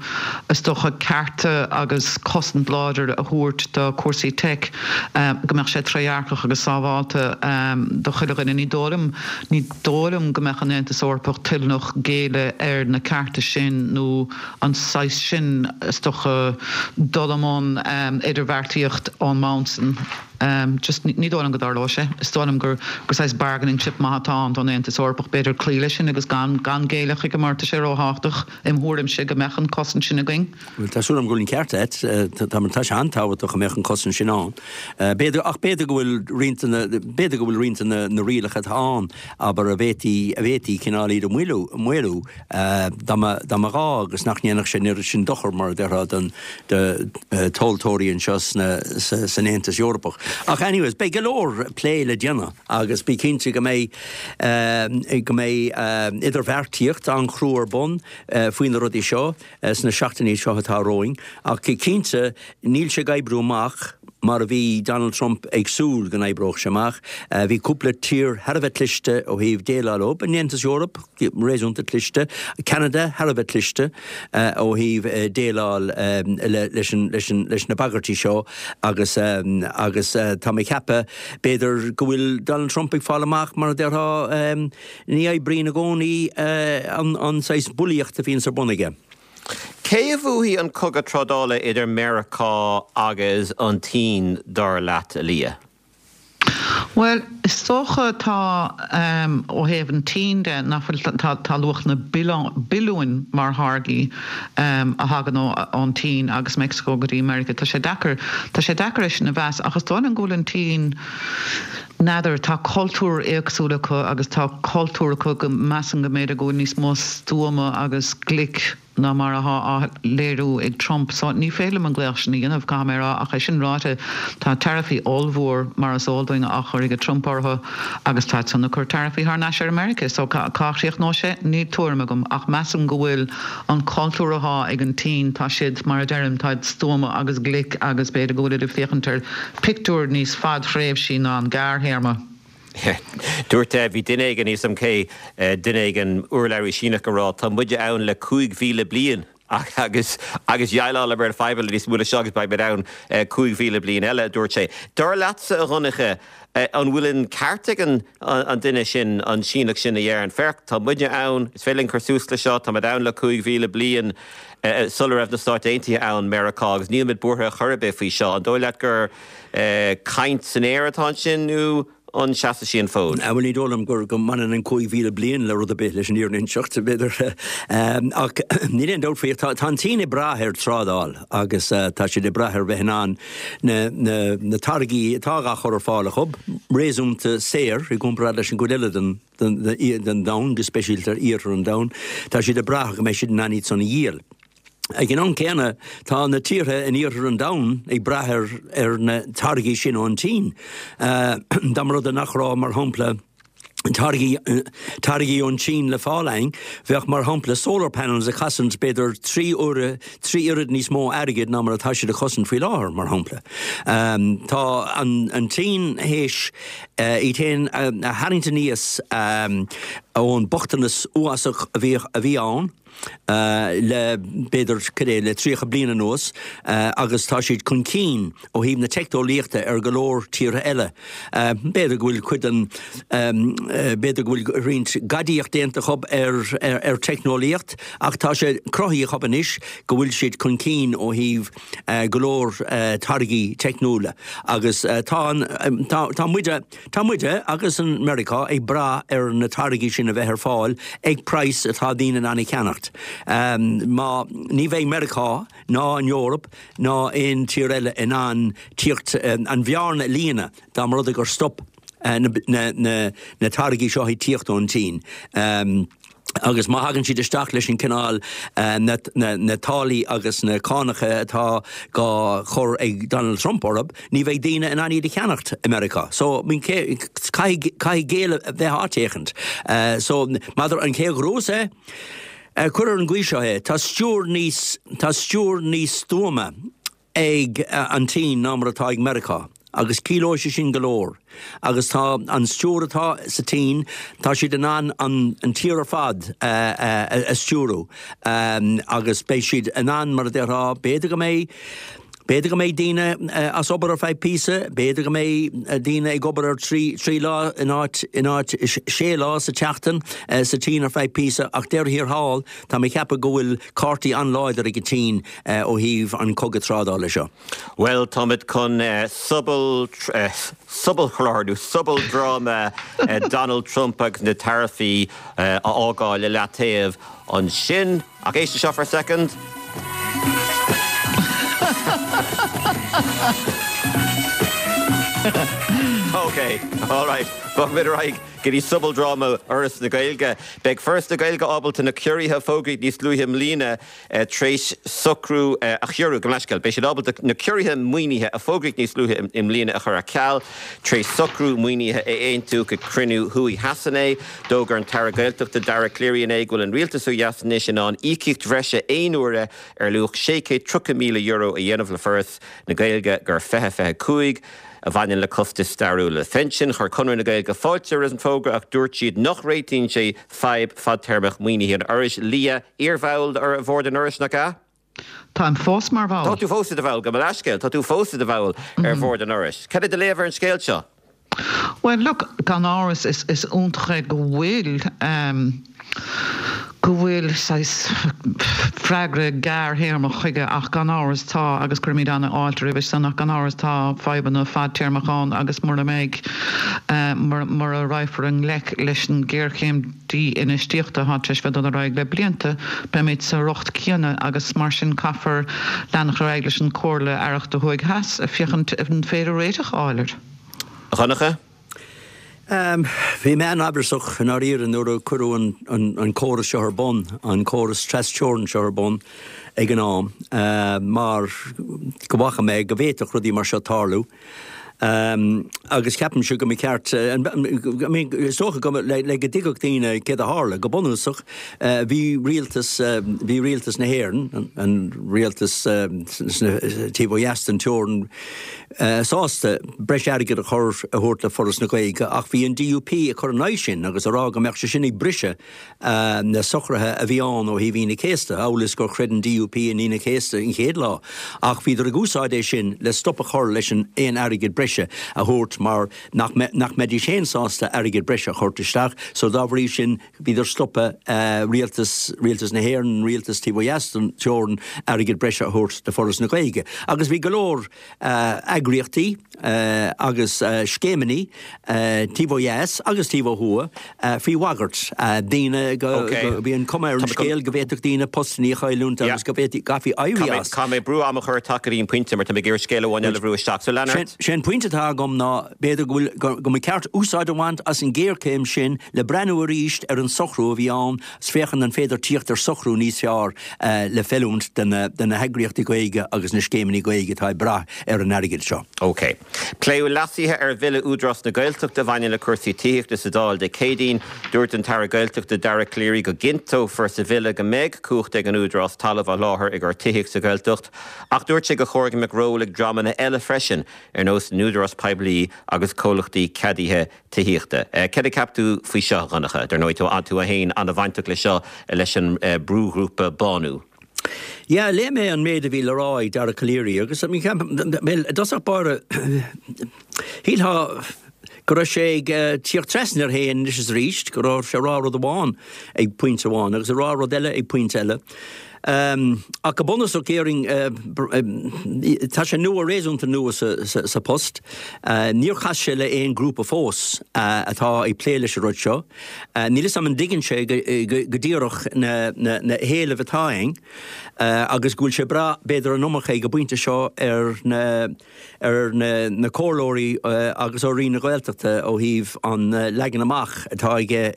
is dócha cearta agus cosaint láidir a thabhairt do cúrsaí teic go mbeadh sé trédhearcach agus sábhálta do chuile dhuine. Ní dóigh liom ní dóigh liom go mbeadh an Aontas Eorpach toilteanach géilleadh ar na cearta sin nó an saghas sin, is dócha, dul i mbun idirbheartaíocht ón mbonn san. Just ní dóigh liom go dtarlóidh sé. Is dóigh liom gur gur saghas bargaining chip maith atá ann don Aontas Eorpach, b'fhéidir cloí leis sin agus gan gan géilleadh chuige mar tá sé róthábhachtach, im thuairimse, go mbeadh an cosaint sin againn. Bhuel, tá súil agam go bhfuil an ceart agat. Tá tá sé an-tábhachtach go mbeadh an cosaint sin ann. B'fhéidir, ach b'fhéidir go bhfuil roinnt de na, b'fhéidir go bhfuil roinnt de na na rialacha atá ann, abair, a bhféadfaí, a bhféadfaí cineál iad a mhaolú, maolú. Dá mba ghá agus nach ndéanfadh sé an oiread sin dochar, mar a déarfá, don tomhaltóirí anseo san Aontas Eorpach. Ach anyways, beidh go leor plé le déanamh agus bí cinnte go mbeidh go mbeidh idirbheartaíocht an-chrua ar bun faoi na rudaí seo sna seachtainí seo atá romhainn. Ach cinnte, níl sé ag oibriú amach. mar a bhí Donald Trump ag súil go n-oibreodh sé amach. Bhí cúpla tír thar a bheith cliste ó thaobh déileáil leo, an Aontas Eorpach réasúnta cliste, Ceanada thar a bheith cliste ó thaobh déileáil leis na bagairtí seo agus agus tá mé ag ceapadh b'fhéidir go bhfuil Donald Trump ag fáil amach mar a déarfá ní oibríonn i gcónaí an saghas bulaíocht a bhíonns ar bun aige. Cé a bhuafaidh an cogadh trádála idir Meiriceá agus an tSín, dar leat, a Liadh? Bhuel, is dócha tá, ó thaobh an tSín de, nach bhfuil, tá, tá luach na billiúin mar tháirgí a thagann ón tSín agus Meicsiceo go dtí Meiriceá. Tá sé deacair, tá sé deacair é sin a mheas ach is dóigh liom go bhfuil an tSín, n'fheadar, tá cultúr éagsúil acu agus tá cultúr acu go measaim go mb'fhéidir go bhfuil níos mó stuama agus glic ná mar atá á léiriú ag Trump. So ní féidir liom an glaoch sin a dhéanamh, caithfidh mé a rá, ach é sin ráite, tá taraifí ollmhór, mar is eol dúinn, á chur ag Trump orthu agus táid san ag cur taraifí thar n-ais ar America. So cá chríochnóidh sé? Níl tuairim agam ach measaim go bhfuil an cultúr atá ag an tSín, tá siad, mar a deirim, táid stuama agus glic agus b'fhéidir go bhfuilid ag féachaint ar pictiúr níos fadthréimhsí ná an gearrthéarma. Dúirt, bhí duine éigin, níl 'fhios a'm cé, duine éigin, urlabhraí Síneach ag rá, tá muide ann le 5,000 bliain agus agus dhéileálamar le fadhbanna níos mó ná seo agus beidh muid ann 5,000 bliain eile, a dúirt sé. Dar leatsa, a Dhonncha, an bhfuil an ceart ag an an duine sin, an Síneach sin a deireann, féach, tá muide ann, is féidir linn cur suas le seo, tá muid ann le 5,000 bliain sula raibh na Stáit Aontaithe ann, Meiriceá, agus níl muid buartha ar chor ar bith faoi seo. An dóigh leat gur caint san aer atá ansin nó an seasfaidh sí an fód? Bhuel, ní dóigh liom gur go mbaineann an 5,000 bliain le rud ar bith leis an fhírinne a inseacht, b'fhéidir. Ach níl aon dabht faoi, tá an tSín ag brath ar trádáil agus tá siad ag brath ar bheith in ann na táirgí atá á chur ar fáil acu, réasúnta saor i gcomparáid leis an gcuid eile den den domhan, go speisialta iarthar an domhain, tá siad ag brath go mbeidh siad in ann iad san a dhíol. Ag an am céanna, tá na tíortha in iarthar an domhain ag brath ar ar na táirgí sin ón tSín. Dá mba rud é nach raibh, mar shampla, táirgí táirgí ón tSín le fáil againn, bheadh, mar shampla, solar panels ag cosaint b'fhéidir 3 uaire, 3 oiread níos mó airgid ná mar atá siad ag cosaint faoi láthair, mar shampla. Tá an an tSín théis iad féin a tharraingt aníos ón mbochtanas uafásach a bhí a bhí ann le b'fhéidir, cad é, le 30 bliain anuas agus tá siad chun cinn ó thaobh na teicneolaíochta ar go leor tíortha eile. B'fhéidir go bhfuil cuid den, b'fhéidir go bhfuil roinnt gadaíocht déanta acu ar ar teicneolaíocht ach tá sé cruthaithe acu anois go bhfuil siad chun cinn ó thaobh go leor táirgí teicniúla agus tá an, tá muide, tá muide agus an Meiriceá ag brath ar na táirgí sin a bheith ar fáil ag praghas atá daoine in ann a cheannacht. Má, ní bheidh Meiriceá ná an Eoraip ná aon tír eile in ann tíocht, an bhearna a líonadh dá mba rud é gur stop na táirgí seo ag tíocht ón tSín. Agus má thagann siad isteach leis an cineál, na táillí agus na cánacha atá dhá chur ag Donald Trump orthu, ní bheidh daoine in ann iad a cheannacht i Meiriceá. So, caithfidh, caithfidh géilleadh a bheith áit éicint. So, maidir an cé a ghnóthós é, cuir ar an gcaoi seo é, tá stiúir níos, tá stiúir níos stuama ag an tSín ná mar atá ag Meiriceá, agus ciallóidh sé sin go leor. Agus tá an stiúir atá sa tSín, tá siad in ann an tír ar fad a stiúrú, agus beidh siad in ann, mar a déarfá, b'fhéidir go mbeidh, b'fhéidir go mbeidh daoine as obair ar feadh píosa, b'fhéidir go mbeidh daoine ag obair ar trí lá in áit, in áit sé lá sa tseachtain sa tSín ar feadh píosa, ach deireadh thiar thall, tá mé ag ceapadh go bhfuil cártaí an-láidir ag an tSín ó thaobh an cogadh trádála seo. Bhuel, táimid chun sobal, sobalchlár nó sobaldráma Donald Trump agus na taraifí a fhágáil i leataobh ansin. Ach éist leis seo for a second. Ok, alright, bogfaimid ar aghaidh go dtí sobaldráma Fhoras na Gaeilge. Beidh Foras na Gaeilge ábalta na ciorruithe a fógraíodh níos luaithe i mbliana tar éis socrú a chiorrú, gabh mo leithscéal, beidh siad ábalta na ciorruithe maoinithe a fógraíodh níos luaithe i mbliana a chur ar ceal tar éis socrú maoinithe a aontú ag cruinniú Thuaidh Theas inné. D'fhógair an tAire Gaeltachta Dara Calleary inné go bhfuil an rialtas ó dheas anois in ann íocaíocht bhreise aon uaire ar luach €630,000 a dhéanamh le Foras na Gaeilge do 2025 a bhaineann le costais stairiúla phinsin. Chuir Conradh na Gaeilge fáilte roimh an bhfógra ach dúirt siad nach réitíonn sé fadhb fadtéarmach maoinithe an Fhorais. Liadh, iarbhall ar bhord an Fhorais, nach ea? Táim fós mar bhall. Tá tú fós i do bhall, gabh mo leithscéal, tá tú fós i do bhall ar bhord an Fhorais. Cad é do léamh ar an scéal seo? Bhuel, look, gan amhras is is iontach é go bhfuil ehm go bhfuil saghas freagra gearrthéarmach chuige ach gan amhras tá, agus cuirimid an-fháilte roimhe san, ach gan amhras tá fadhbanna fadtéarmach ann agus mura mbeidh eh mura raghfar i ngleic leis an ghéarchéim dí-infheistíochta atá tar éis bheith ag dul ar aghaidh le blianta, beimid sa riocht céanna agus mar sin caithfear leanacht ar aghaidh leis an Comhairle Aireachta Thuaidh Theas féachaint an féidir réiteach a fháil air. A Dhonncha? Bhí mé an-amhrasach i ndáiríre nuair a cuireadh an córas seo ar bun, an córas tras-teorann seo ar bun ag an am, mar go bhfaca mé go bhféadfadh rudaí mar seo tarlú. Agus ceapaimse go mba cheart, I mean, is dócha go, le go dtuigfeadh daoine céard a tharla, go bunúsach, bhí rialtas, bhí rialtas na hÉireann, an rialtas sna, taobh ó dheas den teorainn, sásta breis airgid a chur, a thabhairt le Foras na Gaeilge ach bhí an DUP ag cur in aghaidh sin agus ag rá go mbeadh sé sin ag briseadh na socruithe a bhí ann ó thaobh Aoine an Chéasta, amhail is gur chreid an DUP in Aoine an Chéasta an chéad lá, ach bhíodar ag úsáid é sin le stop a chur leis an aon airgead breise a thabhairt mar nach nach mbeidís féin sásta airgead breise a thabhairt isteach so dá bhrí sin bhíodar ag stopadh rialtas rialtas na hÉireann, rialtas taobh ó dheas den teorainn airgead breise a thabhairt do Foras na Gaeilge agus bhí go leor eagraíochtaí agus scéimeanna taobh ó dheas agus taobh ó thuaidh faoi bhagairt. Daoine go, bhí an cuma ar an scéal go bhféadfadh daoine postanna a chailliúint agus go bhféadfaí, gcaithfí éirí as. Caithfidh mé brú ama a chur ort teacht go dtí an pointe mar tá mé ag iarraidh scéal amháin eile a bhrú isteach. So lean ort. Sé an pointe atá agam ná b'fhéidir go bhfuil, go mba cheart úsáid a bhaint as an ghéarchéim sin le breathnú arís ar an socrú a bhí ann 's féachaint an féidir tíocht ar socrú níos fearr le feiliúint do na heagraíochtaí Gaeilge agus na scéimeanna Gaeilge atá ag brath ar an airgead seo. OK. Pléadh leasuithe ar Bhille Údarás na Gaeltachta a bhaineann le cúrsaí tithíochta sa Dáil Dé Céadaoin. Dúirt an tAire Gaeltachta Dara Calleary go gcinnteofar sa bhille go mbeidh cumhacht ag an Údarás talamh a sholáthar i gcomhair tithíocht sa Ghaeltacht ach dúirt sé gur chóir go mbeadh ról ag dreamanna eile freisin ar nós na n-údarás poiblí agus comhlachtaí ceadaithe tithíochta. Céard a cheap tú faoi seo, a Dhonncha? Dar ndóigh, tá tú féin an-bhainteach leis seo leis an brúghrúpa Bánú. Yeah, léigh mé an méid a bhí le rá ag Dara Calleary agus I mean, ceap, bhuel, i dtosach báire, shílfeá go raibh sé ag tíocht trasna air féin anois is arís, go raibh sé ag rá rud amháin ag pointe amháin agus ag rá rud eile ag pointe eile. Ach go bunúsach, déarfainn, tá sé nua, réasúnta nua sa post. Níor chas sé le aon grúpa fós atá ag plé leis an rud seo. Níl 'fhios a'm an dtuigeann sé go díreach na héilimh atá ann agus go bhfuil sé ag brath b'fhéidir an iomarca ag an bpointe seo ar na ar na comhairleoirí agus ar Roinn na Gaeltachta ó thaobh an leagan amach atá aige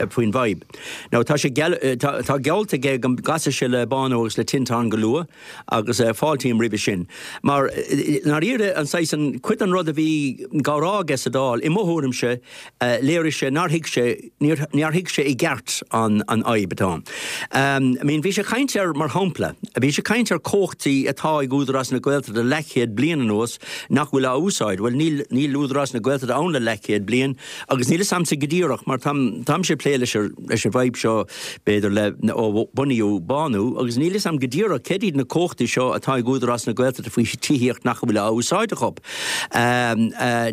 faoin bhfadhb. Now tá sé tá geallta aige go gcasfaidh sé le Bánú agus le Tinteán go luath agus fáiltím roimhe sin. Mar i ndáiríre an saghas an cuid den rud a bhí á rá aige sa Dáil, i mo thuairimse, léirigh sé nár thuig sé, níor, nár thuig sé i gceart an an fhadhb atá ann. I mean, bhí sé ag caint ar, mar shampla, bhí sé ag caint ar cumhachtaí atá ag Údarás na Gaeltachta le leathchéad bliain anuas nach bhfuil á úsáid. Bhuel, níl, níl Údarás na Gaeltachta ann le leathchéad bliain agus níl 'fhios a'msa go díreach mar táim, táimse ag plé leis an, leis an bhfadhb seo b'fhéidir le, ó bunaíodh Bánú agus níl 'fhios a'm go díreach céard iad na cumhachtaí seo atá ag Údarás na Gaeltachta faoi tithíocht nach bhfuil á úsáid acu.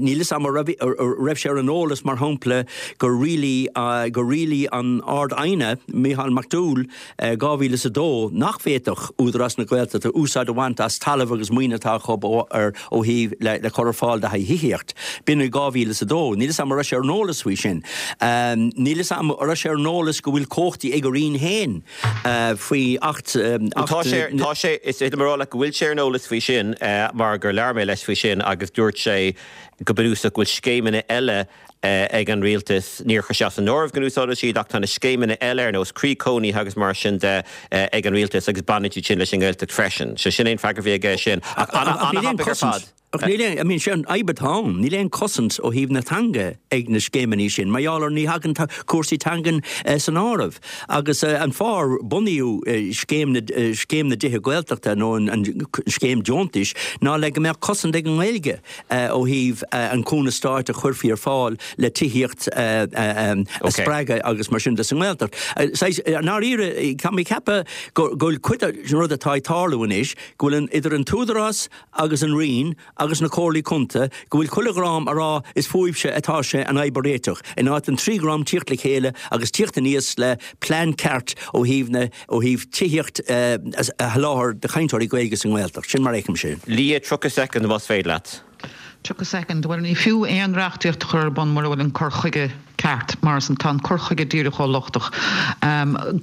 Níl 'fhios a'm an raibh sé ar an eolas, mar shampla, gur rialaigh gur rialaigh an Ard-Aighne, Mícheál Mac Dúill, 2002 nach bhféadfadh Údarás na Gaeltachta úsáid a bhaint as talamh agus maoin atá acu ó thaobh le cur ar fáil do thithíocht. B'in i 2002. Níl 'fhios a'm an raibh sé ar an eolas faoi sin. Níl 'fhios a'm an raibh sé ar an eolas go bhfuil cumhachtaí ag a Roinn féin faoi. Acht, Acht. Tá sé, tá sé, is féidir liom a rá leat go bhfuil sé ar an eolas faoi sin mar gur labhair mé leis faoi sin agus dúirt sé go bunúsach go bhfuil scéimeanna eile ag an rialtas, níor chuir sé as an áireamh go n-úsáidfeadh siad ach tá na scéimeanna eile ar nós Croí Cónaithe agus mar sin de ag an rialtas agus baineann siad sin leis an nGaeltacht freisin. So sin é an freagra a bhí aige sin. Ach an-thapaidh ar fad. Ach níl aon, I mean, sé an fhadhb atá ann, níl aon chosaint ó thaobh na teanga ag na scéimeanna sin, mar gheall ar ní thagann cúrsaí teangan san áireamh. Agus an fáth ar bunaíodh scéim na, scéim na dtithe Gaeltachta nó an scéim deontais ná le go mbeadh cosaint ag an nGaeilge ó thaobh an cúnamh stáit a chuirfí ar fáil le tithíocht a spreagadh agus mar sin de sa nGaeltacht. Saghas, i ndáiríre, tá mé ag ceapadh go bhfuil cuid den rud atá ag tarlú anois, go bhfuil an, idir an tÚdarás, agus an Roinn agus na Comhairlí Contae go bhfuil chuile dhream a rá is fúibhse atá sé an fhadhb a réiteach, in áit an trí dhream tíocht le chéile agus tíocht aníos le plean ceart ó thaobh na, ó thaobh tithíocht a sholáthar do chainteoirí Gaeilge sa nGaeltacht. Sin mar a fheicimse é. Leah, 30 soicind más féidir leat. 30 soicind. Bhuel, ní fiú aon reachtaíocht a chur ar bun mura bhfuil an cur chuige ceart, mar tá an cur chuige díreach chomh lochtach.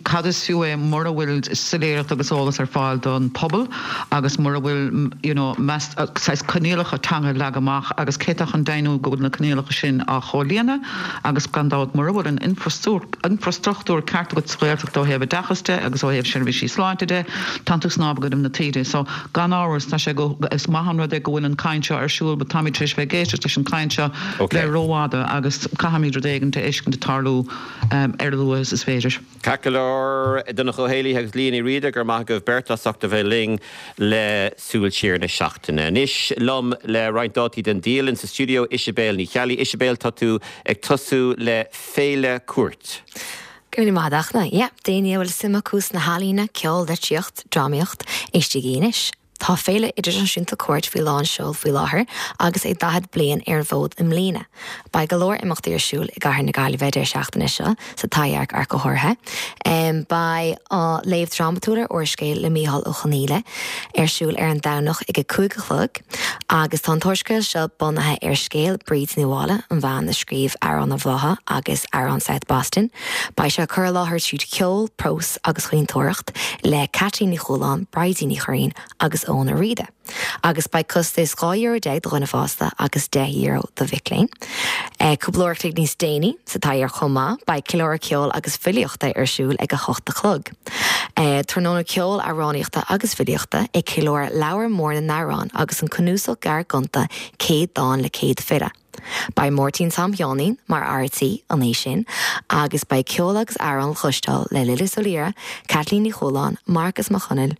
Cad is fiú é mura bhfuil soiléireacht agus eolas ar fáil don phobal agus mura bhfuil you know saghas coinníollacha teanga leagtha amach agus cé atá chun deimhniú go bhfuil na coinníollacha sin á chomhlíonadh agus gan dabht mura bhfuil an infrastruchtúr ceart agat sa Ghaeltacht ó thaobh oideachas de agus ó thaobh seirbhísí sláinte de, tánn tú ag snámh i gcoinnibh na taoide. So gan amhras tá sé go, is maith an rud é go bhfuil an caint seo ar siúl but táimid tar éis bheith ag éisteacht leis an chaint seo le rófhada agus caithfimid rud éigin a fheiscint ag tarlú ar a luaithe is is féidir. Ceart go leor, Donncha Ó Héalaí agus Liadh Ní Riada, go raibh maith agaibh beirt as ucht a bheith linn le Súil Siar na seachtaine. Anois liom le roinnt dátaí den dialann sa stiúideo, Isibéal Ní Cheallaigh. Isibéal, tá tú ag tosú le Féile Cúirt. Go raibh míle maith agat, a Fhachtna. Yeah, d'éinne a bhfuil suim acu sna healaíona, ceol, litríocht, drámaíocht, éistigí anois. Tá Féile Idirnáisiúnta Cúirt faoi lán seoil faoi láthair agus é 40 bliain ar an bhfód i mbliana. Beidh go leor imeachtaí ar siúl i gcathair na Gaillimhe deireadh seachtaine seo, sa Taibhdhearc ach go háirithe. Beidh léamh drámatúil ar úrscéal le Mícheál Ó Conghaile ar siúl ar an Domhnach ag a 5 a chlog agus tá an t-úrscéal seo bunaithe ar scéal Bríd Ní Mháille, an bhean a scríobh Amhrán an Bhlátha agus Amhrán South Boston. Beidh sé curtha i láthair tríd cheol, prós agus chaointeoireacht le Caitlín Ní Chualáin, Bridie Ní Churraoin agus Eoin Ó Riada. Agus beidh costas €12 do dhuine fásta agus €10 do mhic léinn. Cúpla uair a chloig níos déanaí sa Taibhdhearc chomh maith, beidh ceiliúradh ceoil agus filíochta ar siúl ag a hocht a chlog. Tráthnóna ceoil, amhránaíochta agus filíochta ag ceiliúradh Leabhar Mór na nAmhrán agus an cnuasach gearr gonta 100 Dán le 100 File. Beidh Máirtín Tom Sheáinín mar fhear tí an oíche sin agus beidh ceol agus amhráin le cloisteáil le Lillis Ó Laoire, Caitlín Ní Chualáin, Marcas Mac Chonaill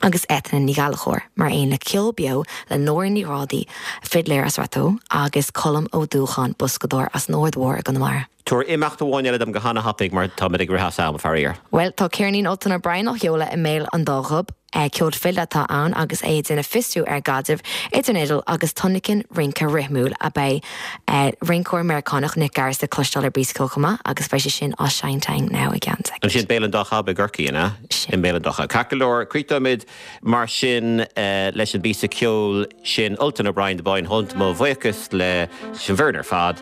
agus Eithne Ní Ghallchóir mar aon le ceol beo le Nóra Ní Ghrádaigh, fidléir as Rath Tó, agus Colm Ó Dúcháin, boscadóir as an Aird Mhór i gConamara. Tabhair imeacht amháin eile dom go hana-thapaidh mar táimid ag rith as am, faraor. Bhuel, tá ceirnín Ultan O'Brien á sheoladh i mBéal an Dá Ghob. Ceol file atá ann agus é ag déanamh fiosrú ar an gcaidreamh idir an fhidil agus tionlacan rince rithmiúil a Beidh rinceoir Meiriceánach Nick Garris le cloisteáil ar bpíosa ceoil chomh maith agus beidh sé sin á seinnt againn now i gceann soicind. Ansin Béal an Dá Chab i gCorcaigh, an ea? Sin. I mBéal an Dá Chab. Ceart go leor, críochnóimid Mar sin, leis an bpíosa ceoil sin, Ultan O'Brien, The Boyne Hunt, mo bhuíochas leis an bhfoireann ar fad,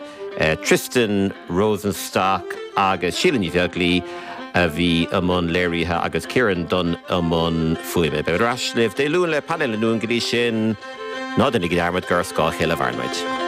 Tristan Rosenstock agus Síle Ní Bheaglaoi a bhí i mbun léirithe agus Ciarán Dunne i mbun fuaime. Beimid ar ais libh Dé Luain le Painéal na Luan go dtí sin, ná déanaigí dearmad gur ar scáth a chéile a mhaireann muid.